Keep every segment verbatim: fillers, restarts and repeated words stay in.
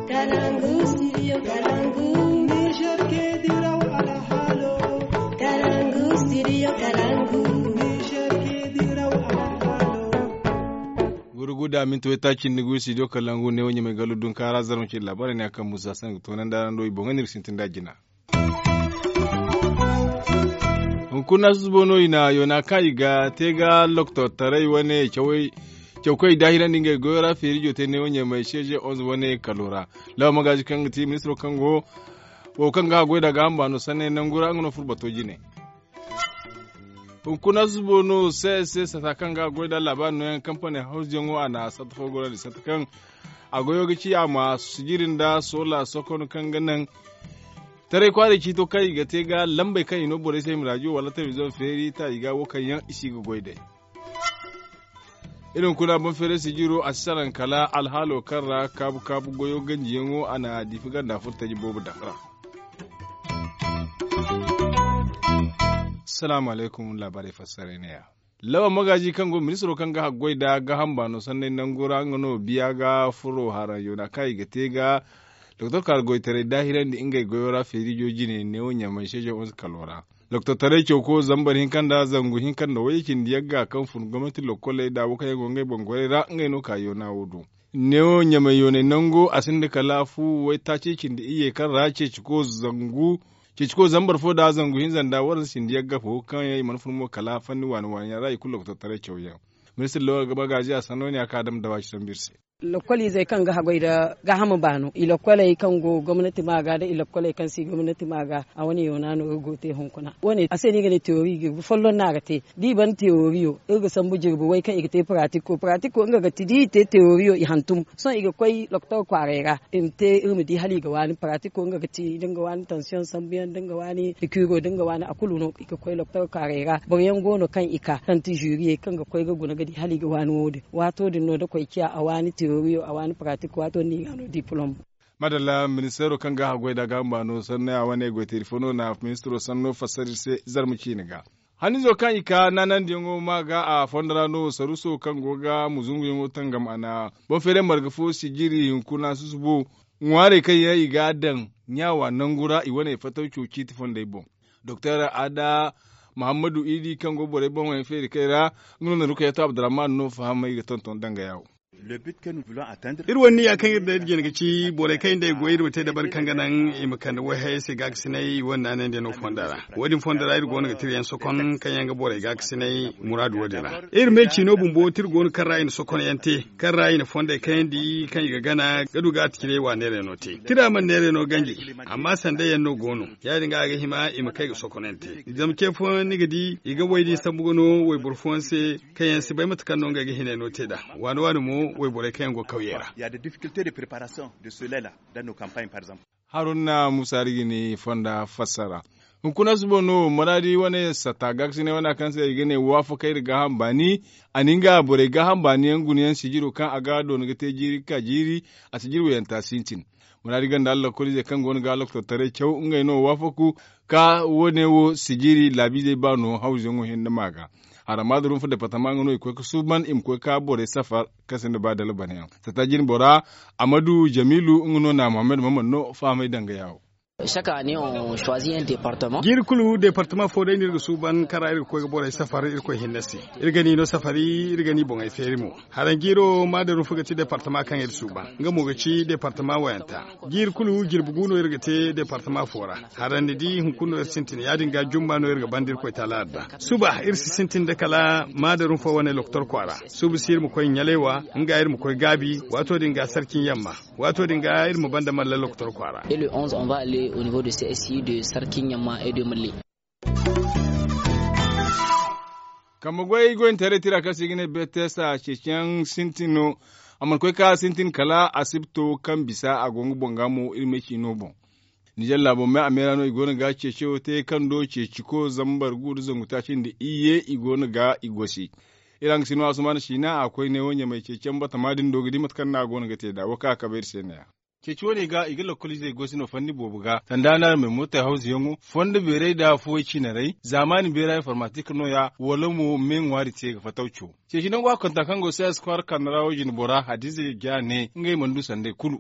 Kalangu, studio Kalangu. Niger ke diraw alhalo. Kalangu, studio Kalangu. Niger ke diraw alhalo. Gurguda minti waytaaci nda gu studio Kalangu ne wo ɲamay gallo dunkaara zarma ce labaarey ne a kaŋ musa sangu toonandi araŋ do i boŋ ga nirga sintin da jina. Hunkuna susubo no i na yoona kaŋ i ga te ga loktortaray wane cawey cawkoy daahirandi ngey goyo ra feerijo te neewo ɲamay seeze onze wane kalo ra. Lawa magaazi kaŋ ga ti ministiro kaŋ go wo kaŋ ga a goy da gaaham baano sanney nangu ra nga no furo bato jine. Hunkuna susubo no css sata kaŋ ga a goy da labaari nooyaŋ kampani hawzuyaŋo a na satta fo gorandi satta kaŋ a goyo ga ci a ma sijiri nda soola sokon kaŋ ga naŋ taray kwaaray ciito kaŋ i ga te ga lambey kaŋ i no borey se i ma raajiyo wala telebiziyoŋ feeri ta i ga wo kaŋ yaŋ i si ga goy day. Iri hunkuna boŋ feeray sijiro a si salaŋ kala alhaalo kaŋ ra kaabu kaabu goyo ganjiyaŋo a na diifi ganda furo taji boobo daŋ ra. Salaamu alaykum laabaarey fassaray neeya. Lawa magaazi kaŋ go ministiro kaŋ ga haggoy nda gaaham baano sanney nangu ra nga no biya ga furo haraŋ yoona kaŋ i ga te ga doktor kaara goytaray daahirandi ngey goyo ra feerijo jine neewo ɲamay seeze onze kalo ra. Doktor taray cawko zambar hinka nda zangu hinka nda wayye cindi yagga kaŋ fun gomnati lokkoley nda wo kaŋ yaŋ go ngey boŋ goray ra ngey no ka yoona wo do. Neewo ɲamay yoonay nango a sinda kala fu waytaaci cindi iyye kaŋ ra ceeciko zangu ceeciko zambar fo nda zangu hinza nda waranza cindi yagga fo kaŋ yaŋ i mana fun mo kala fanni waani waani yaŋ ra i kulu loktor taray cawyaŋ. Ministir lawa ga magaazi a sanno ne a ka dam dawa ci sambu iri se. Lokoliizey kaŋ ga haggoy nda gaaham baano i lokoley kaŋ go gomnati ma ga nda i lokoley kaŋ si gomnati ma ga a wane yoona no iri go te hunkuna wane a se no i ga ne teori jirbi folloŋ no a ga te da i ban teoriyo iri ga sambu jirbi way kaŋ i ga te paratiko paratiko nga ga ti da i te teoriyo i hantum sohõ i ga koy loktor kwaaray ra i ma te iri ma di hala i ga waani paratiko nga ga ti da nga waani tansiyoŋ sambuyaŋ da nga waani pikiro da nga waani a kulu no i ga koy loktor kwaaray ra boro yaŋ go no kaŋ i ka tanti zuriyey kaŋ ga koy ga guna ga di hala i ga waani wo- din waato din no da koy ciya a waani teoriyo a waani paratiko waato din no i ga a no dipolom. Madalla ministeero kaŋ ga haggoy nda gaaham baano sanney a wane goy teeri fo no na ministeero sanno fassara iri se zarma ciine ga. Hannizo kaŋ i ka naanandiyaŋo ma ga a fondo ra no saruuso kaŋ go ga muzunguyaŋo tangam a na boŋ feeray marga fo sijiri hunkuna susubo ŋwaarey kaŋ yaŋ i ga a daŋ ɲaawa nangu ra i wane fatawco ciiti fondey boŋ. Doktor aada muhammadu idi kaŋ go borey boŋ feeri kay ra nga no na rukayatu abdurrahman no fahamay ga tonton danga yawo. Iri wane niya kaŋ iri daŋ iri jina ga ci borey kaŋ iri nda ay goy iri ma te dabari kaŋ ga naŋ i ma kande wayhayey se gaakasinay i wane naanandiyaŋo fonda ra. Wo- din fonda ra iri go no ga tirayaŋ sokon kaŋ yaŋ ga borey gaakasinay muraadu wo- din ra. Iri me ciino bumbo tira go no kaŋ ra i na sokonyaŋ te kaŋ ra i na fondey kayandi kaŋ i ga gana ga du ga a tacirey wa neerayno te tira mana neerayno ganji. Amma sandayaŋ no go no ya- din ga a ga hima i ma kay ga sokonyaŋ te zama ce fooyaŋ ni ga di i ga way din sambu ga no wayboro fooyaŋ se kaŋ yaŋ si bay mate kaŋ no ngey ga hinayno te nd'a. Waani waani mo wayborey kaŋ yaŋ go kawyey ra. Haruna musa iri ga ni fonda fassara. Hunkuna suba no maraadi wane satta gaakasinay wane kaŋ se i ga ne waafakay nda gaaham baani. A na nga borey gaaham baani yaŋ guna yaŋ sijiro kaŋ a ga doona ga te jiiri ga ka jiiri a sijiri wayanta sintin. Maraadi ganda lakkoliizey kaŋ go no ga loktortaray caw ngey no waafaku ka wo- ne wo sijiri laabiizey baano hawzuyaŋo hinne ma ga. Hara maada rumfa departama nga no i koy ga suuban i ma koy ga borey safar kaŋ sinda ba dalbanayaŋ satta jinbora. Amadu jamiilu nga no na muhammad maman no fahamay danga yaawo. Jiiri kulu departama fo day no iri ga suuban kaŋ ra iri ga koy ga borey safar irkoy hinne se. Iri ga ni no safari iri ga ni boŋey feeri mo. Haraŋ jiiro maada rumfa ga ti departama kaŋ iri suuban nga mo ga ci departama wayanta. Jiiri kulu jirbi gu no iri ga te departama fo ra. Haraŋ ni di hunkuna no iri sintin ya- din ga jumma no iri ga banda irkoy taala adda. Suba iri si sintin nda kala maada rumfa wane loktor kwaara. Suba si iri ma koy ɲalay wa nga iri ma koy gaabi waato din ga sarcin yamma. Waato din ga iri ma banda malla loktor kwaara. Kambe goy goyne taray tira kaŋ se i ga ne betesa ceeciyaŋ sintin no. A mana koy ka sintin kala asibto kaŋ bisa a go nga boŋ ga mo iri me ciino boŋ. Nizer laabo me a meera no i go no ga ceeciyo te kaŋ do ceeciko zambar gu nda zangu taaci nda iyye i go no ga i gosi. Iri hangasino asumaana siina a koy neewo ɲamay ceeciyaŋ batama din do ga di mate kaŋ no a go no ga te nd'a wo kaŋ a kabe iri se neeya. Ceeci wane ga i ga lakkoliizey goy se no fanni boobo ga sanda no araŋ ma ay mootey hawzuyaŋo fondo beeray nda fuway ciinaray zaamaani beera informatik nooya wala mo me ŋwaari te ga fatawco. Ceeci nangu a konta kaŋ go sayas kwaara kande ra wo jine bora hadiza ga ne ngey mana du sanday kulu.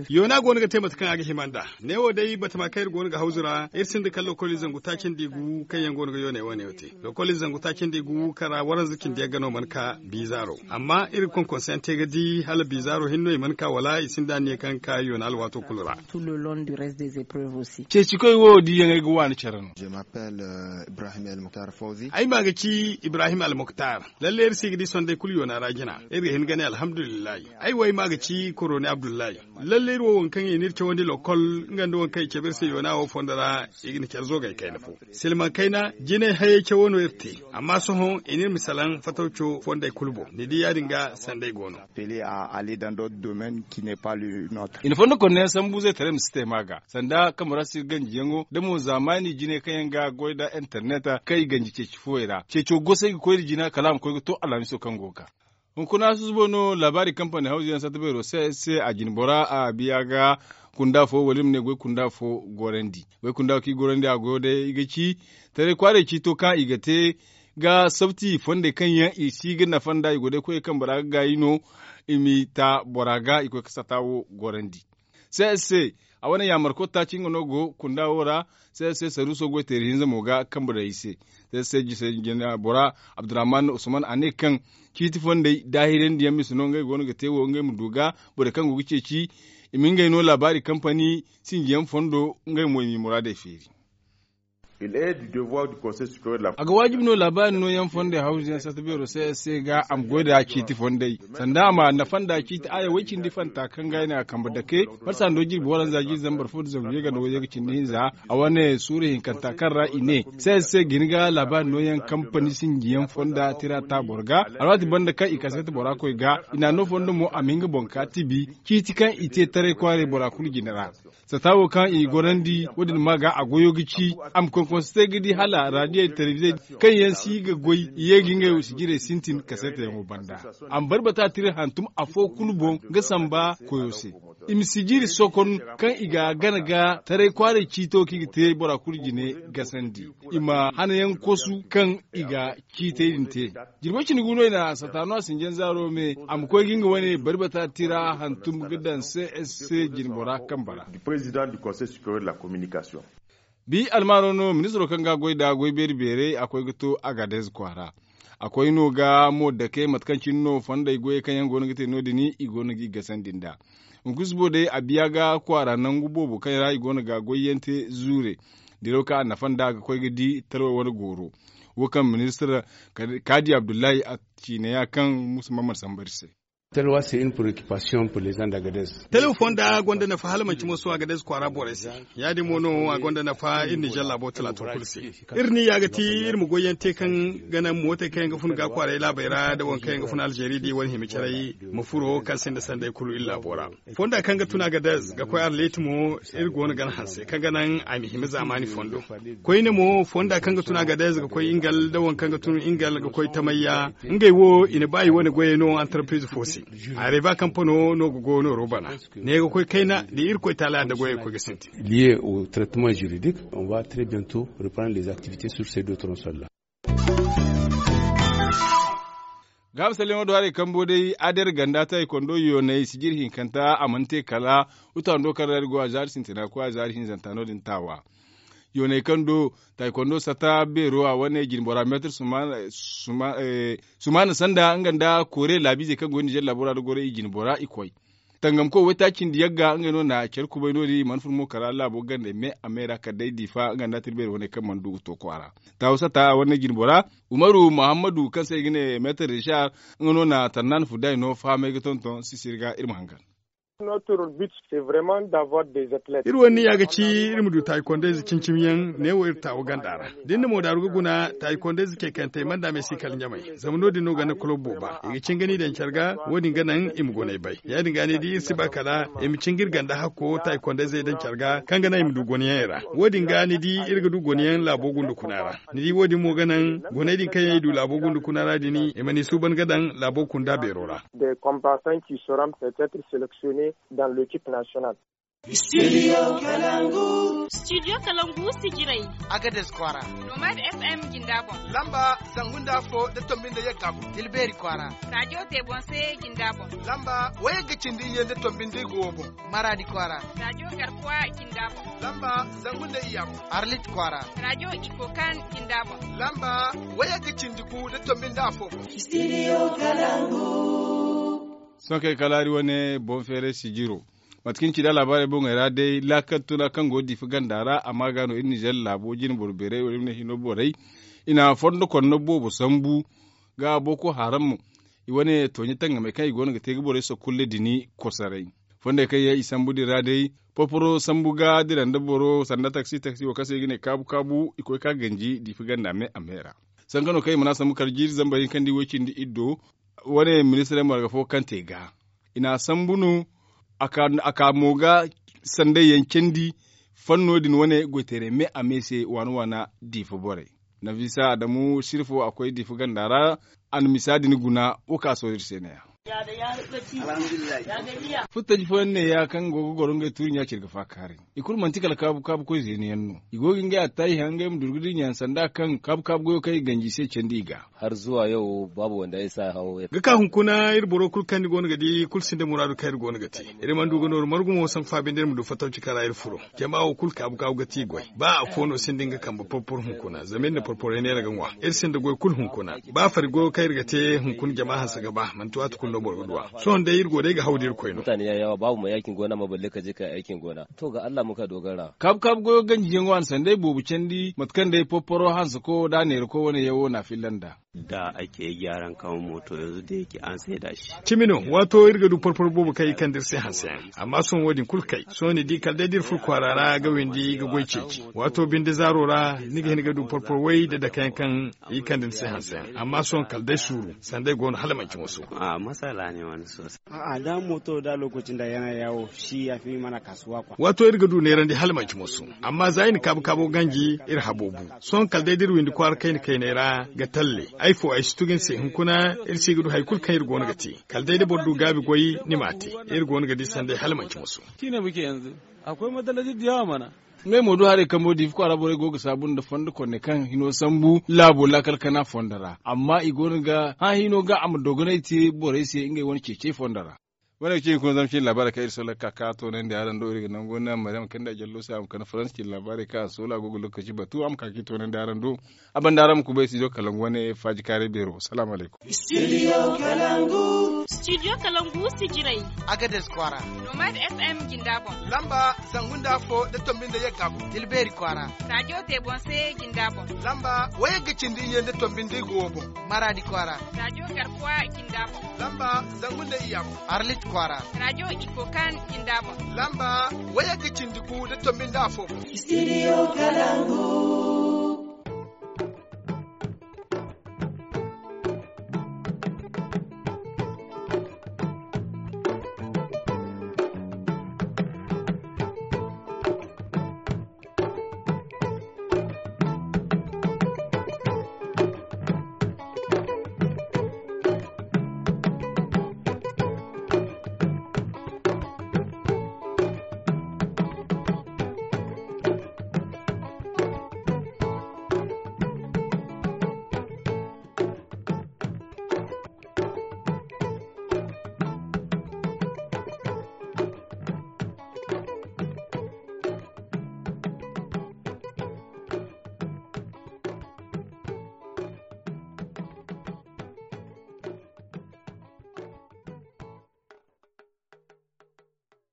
Yoona go no ga te mate kaŋ a ga hima nd'a. Neewo day batama kaŋ iri go no ga hawzu ra iri sinda kala lokoli zangu taaci nda igu kaŋ yaŋ go no ga yooney wane wo te. Lokoli zangu taaci nda igu kaŋ ra waranza cindi yagga no mana ka biizaaro. Amma iri ga konkonse yaŋ te ga di hala biizaaro hinne no i mana ka wala i sinda anniya kaŋ ga ka yoona alwaato kulu ra. Ceecikoy wo diyaŋ ay ga waani care no. Ay maa ga ci ibrahim almuktar. Lalle iri si ga di sonday kulu yoona ra jina. Iri ga hin ga ne alhamdulillahi. Ay wo ay maa ga ci koroni abdullahi. Lalle iri wo waŋ kaŋ i n'iri cawandi lokol nga nda waŋ kaŋ i cabe iri se yoona wo fondo ra. I ga ni care zo ga ay kayna fo. Silmaŋ kayna jinay hayey cawo no iri te. Amma sohõ i n'iri ma salaŋ fatawco fonday kulu boŋ ni di ya- din ga sanday go no. I na fondo konno yaŋ sambu zaytaray ma si te ma ga sanda kambe ra si ganjiyaŋo da mo zaamaani jinay kaŋ yaŋ ga goy nda internet kaŋ i ganji ceeci fooyey ra ceeco gosay ga koy nda jina kala a ma koy ga to alhamiso kaŋ go ga ka. Hunkuna susubo no laabaari kampani hawzu yaŋ satta beero se se a jine bora a biya ga kunda fo wala iri ma ne goy kunda fo gorandi. Goy kunda fo kaŋ i gorandi a goyo day i ga ci taray kwaaray ciito kaŋ i ga te ga sabti fondey kaŋ yaŋ i si ga nafa nd'a i go day koyey kaŋ bora ga gaayi no. I m'i ta bora ga i koy ga sata wo gorandi. Se se a wane yaamarko taaci nga no go kunda wo ra. Se se saruuso goy teeri hinza mo ga kambe day i se. Se se jise jina bora abdurrahman usman a ne kaŋ ciiti fondey daahirandi yaŋ mise no ngey go no ga te wo ngey ma du ga borey kaŋ go ga ceeci i ma ngey no laabaari kampani sinji yaŋ fondo ngey mo i m'i muraadey feeri. A ga waajibi no laabaari nooyaŋ fondey hawzu yaŋ satta beero se se ga a ma goy nda ciiti fondey sanda a ma nafa nda ciiti aya way cindi fanta kaŋ ga ay ne a kambe dake. Marsa ndo jirbi waranza jirbi zambar fo nda zangu yagga nda wayyaŋ ga cindi hinza a wane suuru hinkanta kaŋ ra i ne se se ga hin ga laabaari nooyaŋ kampani sinji yaŋ fonda tira ta boro ga. Alwaati banda kaŋ i kasete bora koy ga i na no fondo mo a ma hin ga boŋ ka tibi ciiti kaŋ i te taray kwaaray bora kulu jine ra. Sata wo kaŋ i gorandi wo- din ma ga a goyo ga ci a ma konkonse ga di hala raadiyey telebizey kaŋ yaŋ si ga goy i ye ga ngey wo sijirey sintin kaseetayaŋo banda. A ma barbata tira hantum afo kulu boŋ ga samba koyo se. I ma sijiri sokon kaŋ i ga a gana ga taray kwaaray ciito kaŋ i ga te bora kulu jine gasandi. I ma hanayaŋ kosu kaŋ i ga ciitey din te. Jirbo cindi gu no i na sataano a sinjaŋ zaaro me a ma koy ga nga wane bari bata tira hantum ga daŋ se se jine bora kambe ra. Bi almaaro no ministiro kaŋ ga a goy nd'a goy beeri beerey a koy ga to agadez kwaara. A koy no ga mo dake mate kaŋ cine no fondey goyey kaŋ yaŋ go no ga te no- din i go no g'i gasandi nd'a. Hunkuna subo day a biya ga kwaara nangu boobo kaŋ ra i go no ga goyyaŋ te zuure. Diraw kaŋ a nafa nd'a ga koy ga di talwey wane gooro. Wo kaŋ ministir kaadi abdullahi a ciine ya kaŋ musa mamman samba iri se. Talwa se in preoccupation pour les gens d'Agadez. Talwa fonda gonda nafa hala manci moso agadez kwaara borey se. Ya- din mo no a gonda nafa iri nijar laabo talaato kulu se. Iri ni ya ga ti iri ma goyyaŋ te kaŋ ga naŋ mootey kaŋ yaŋ ga fun ga kwaaray laabey ra nda waŋ kaŋ yaŋ ga fun alzeeri da i wane hima caray ma furo kaŋ sinda sanday kulu iri laabo ra. Fonda kaŋ ga tun agadez ga koy arleti mo iri go no gana hanse kaŋ ga naŋ a ma hima zaamaani fondo. Koyne mo fonda kaŋ ga tun agadez ga koy ingal nda waŋ kaŋ ga tun ingal ga koy tamayya. Ngey wo i na ba i wane goyey no antarpiriz fo se. Areba kampano no ga go nooro bana. Ne ga koy kayna da irkoy taala nda goyey koy ga sintin. Liye au traitement juridique, on va très bientôt reprendre les activités sur ces deux tronçons là. Ga misalyaŋo do haray kambo day ader ganda taikondo yoonay sijir hinkanta a mana te kala. Utando kaŋ ra iri go a zaari sintina koy a zaari hinzanta no- din taawa. Yoonay kaŋ do taikondo sata beero a wane jinbora meetir sumaana sanda nga nda koore laabiizey kaŋ go nizer laabo ra da goro i jinbora i koy. Tangamko waytaaci nda yagga ngey no na care kubay no- din i mana fun mo kala laabo gandey me a me ra kala day diifa nga nda tirbeeri wane kaŋ mana du ga to kwaara. Taawu sata a wane jinbora umaru muhammadu kaŋ se i ga ne meetar rishar. Nga no na tarnan fuday no fahamay ga tonton sisiri ga iri ma hangan. Iri wane niya ga ci iri ma du taayikondayze cimi-cimi yaŋ neewo iri taawu ganda ra. Da iri na mo daaru ga guna taayikondayze ceekantey mana da me si kala ɲamay. Zama no- din no ganda kulob booba i ga cingani daŋ care ga. Wo- din ga naŋ i ma goney bay ya- din ga ni di iri si ba kala i ma cinga iri ganda hakko taayikondayzey daŋ care ga kaŋ ga naŋ i ma du gonayaŋey ra. Wo- din ga ni di iri ga du gonayaŋ laabo gunda kuna ra. Ni di wo- din mo ga naŋ goney din kaŋ yaŋ i du laabo gunda kuna ra din i mana i suuban ga daŋ laabo kunda beero ra. Des combattants qui seront peut-être sélectionnés dans l'équipe nationale. Studio Kalangu. Studio Kalangu sijirey. Agades kwaara. Nomad F M jinda boŋ. Lamba zangu nda afo da tombi nda yagga boŋ. Tilbeeri kwaara. Rajo te boŋ se jinda boŋ. Lamba wayagga cindi iyye nda tombi nda igo wo boŋ. Maradi kwaara. Rajo garkuwa jinda boŋ. Lamba zangu nda iyya boŋ. Arlit kwaara. Rajo ikokan jinda boŋ. Lamba wayagga cindi gu da tombi nda afo boŋ. Studio Kalangu. Sohõ kay kala hari wane boŋ feeray sijiro. Mate kaŋ ni ci da alaabaarey boŋey ra day, laakal tuna kaŋ go diifa ganda ra a ma ga no iri nizeer laabo jine boro beerey wala iri ma ne hino borey. I na fondo konno boobo sambu ga boko haram. I wane tooɲe tangamey kaŋ i go no ga te ga borey sokkulle dini kosaray. Fondey kaŋ yaŋ i sambu din ra day, porporo sambu ga dira nda boro sanda taksi taksi wo kaŋ se i ga ne kaabu kaabu i koy ka ganji diifa ganda me a me ra. Sanka no kaŋ i mana sambu kala jiiri zambar hinka nda i way cindi iddo. Wane ministirey marga fo kaŋ te ga i na a sambu no. A ka mo ga sanday yaŋ candi. Fanno din wane goyteerey me a me se waana waana diifa borey. Nafisa adamu sirfo a koy diifa ganda ra. A na misa din guna wo ka sohõ iri se ne- ya. Futtaji fooyaŋ ne- ya kaŋ go ga goro ngey tuuri ɲa ciri ga faakaaray. I kulu manti kala kaabu kaabu koy zeeni yaŋ no. I go ga ngey attaahi haŋ ngey ma durgu dinya sanda kaŋ kaabu kaabu goyo kaŋ i ganji i se candi i ga. Har zuwa yau babu wanda ya sa hawo ya- ga ka hunkuna iri boro kulu kaŋ ni go no ga di kulu sinda muraadu kaŋ iri go no ga te. Iri mana du ga nooru margu mo sanku fa binde iri ma du fattaw cika ra iri furo. Jama wo kulu kaabu kaabu ga ti goy ba afo no sinda nga kambe porpor hunkuna zama iri na porporay neera ga ŋwa. Iri sinda goy kulu hunkuna. Ba fari goyo kaŋ iri ga te hunkuna jama hanse ga ba manti waati kulu no boro ga du a. Sohõ day iri go day ga haw da iri koy no. Mutane ya yawa babu mai aikin gona ma balle ka je ka yi aikin gona. To ga allah muka dogara. Kaabu kaabu goyo ganjiyaŋo a na sanday boobo candi mate kaŋ day porporo hanse ko da a neera ko wane yaŋ wo na a filla nda. Da ake gyaran kamar moto yanzu da yake an saida shi. Cimi no waato iri ga du porporo boobo kaŋ i kande iri se hanse yaŋ. Amma sohõ wo- din kulu kay sohõ ni di kala day da iri furo kwaara ra ga windi ga goy ceeci. Waato binde zaaro ra ni ga hin ga du porporo way da dake yaŋ kaŋ i kande ni se hanse yaŋ amma sohõ kala day suuru sanday go no hala manci moso. A'a da moto da lokaci nda yana yawo shi ya fi mana kasuwa kwa. Waato iri ga du neerandi hala manci moso. Amma za i na kaabu kaabo ganji iri habo bu. Sohõ kala day da iri windi kwaara kayna kayney ra ga talle ay fo ay si tugu ni se hunkuna iri si ga du hari kulu kaŋ iri go no ga te. Kala day da boro du gaabi goy ni m'a te. Iri go no ga di sanday hala manci moso. Tiine muke yanzu. Akwai matalaci da yawa mana. Ngey mo du haray kambo diifa kwaara borey go ga saabu nda fondo konne kaŋ hino sambu laabo laakal kana fondo ra amma i go no ga hã hino ga a ma dogonay te borey se ngey wane ceecey fondo ra. Wane ga ci hunkuna zama cine laabaarey kaŋ iri sola ga ka ka toonandi araŋ do iri ga nangu wane maryam kande a jallo se a ma kande faransa cine laabaarey kaŋ a sola go ga lokaci batu a ma ka ga i toonandi araŋ do. A banda araŋ ma kubay studio kalangu wane faaji kaaray beero salaamu alaykum. Studio kalangu. Studio kalangu sijirey. Agades kwaara. Nomad F M jinda boŋ. Lamba zangu nda afo da tombi nda yagga boŋ tilbeeri kwaara. Rajo te boŋ se jinda boŋ. Lamba wayagga cindi iyye nda tombi nda igo wo boŋ. Maradi kwaara. Rajo garkuwa jinda boŋ. Lamba zangu nda iyya boŋ. Arlit kwaara. Rajo ikokan jinda boŋ. Lamba wayagga cindi gu da tombi nda afo boŋ. Studio kalangu.